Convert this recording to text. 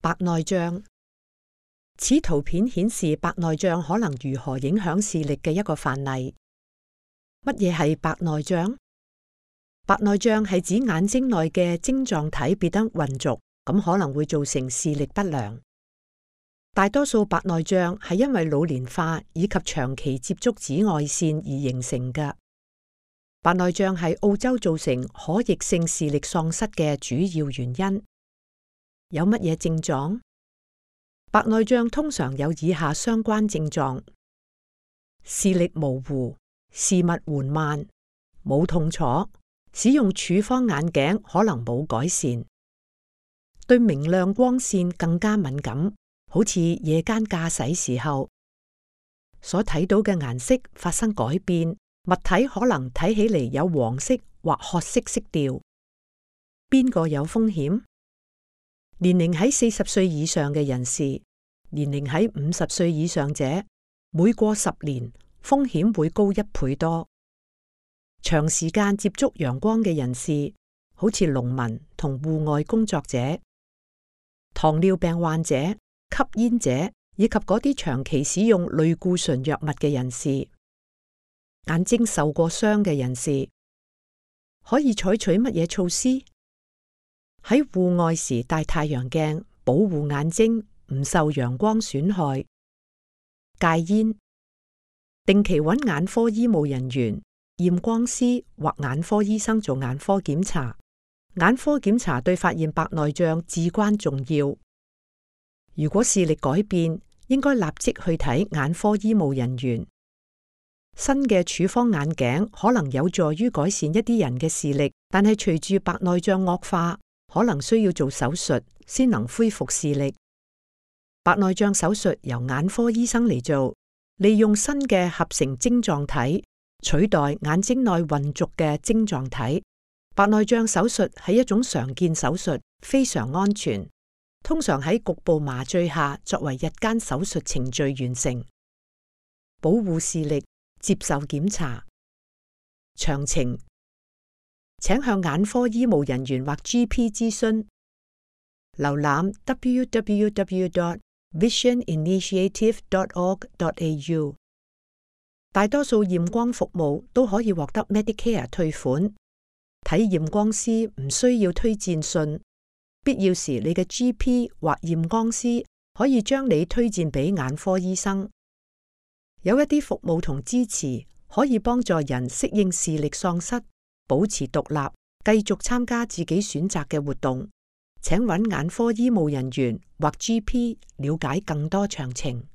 白內障。此圖片顯示白內障可能如何影響視力嘅一個範例。乜嘢係白內障？白內障係指眼睛內嘅晶狀體變得渾濁，咁可能會造成視力不良。大多數白內障係因為老年化以及長期接觸紫外線而形成嘅。白內障係澳洲造成可逆性視力喪失嘅主要原因。有乜嘢症狀？白內障通常有以下相關症狀：視力模糊、視物緩慢、冇痛楚，使用處方眼鏡可能冇改善，對明亮光線更加敏感，好似夜間駕駛時候所睇到嘅顏色發生改變，物體可能睇起嚟有黃色或褐色色調。邊個有風險？年齡喺40歲以上嘅人士，年齡喺50歲以上者，每過10年風險會高1倍多。長時間接觸陽光嘅人士，好似農民同戶外工作者、糖尿病患者、吸煙者以及嗰啲長期使用類固醇藥物嘅人士，眼睛受過傷嘅人士，可以採取乜嘢措施？喺戶外時戴太陽鏡，保護眼睛唔受陽光損害；戒煙，定期揾眼科醫務人員、驗光師或眼科醫生做眼科檢查。眼科檢查對發現白內障至關重要。如果視力改變，應該立即去睇眼科醫務人員。新嘅處方眼鏡可能有助於改善一啲人嘅視力，但係隨住白內障惡化，可能需要做手術先能恢復視力。白內障手術由眼科醫生嚟做，利用新嘅合成晶狀體取代眼睛內混濁嘅晶狀體。白內障手術係一種常見手術，非常安全，通常喺局部麻醉下作為日間手術程序完成。保護視力，接受檢查。詳情請向眼科醫務人員或 GP 諮詢。瀏覽 www.visioninitiative.org.au。大多數驗光服務都可以獲得 Medicare 退款。睇驗光師唔需要推薦信，必要時你嘅 GP 或驗光師可以將你推薦俾眼科醫生。有一啲服務同支持可以幫助人適應視力喪失，保持獨立，繼續參加自己選擇嘅活動。請揾眼科醫務人員或 GP 了解更多詳情。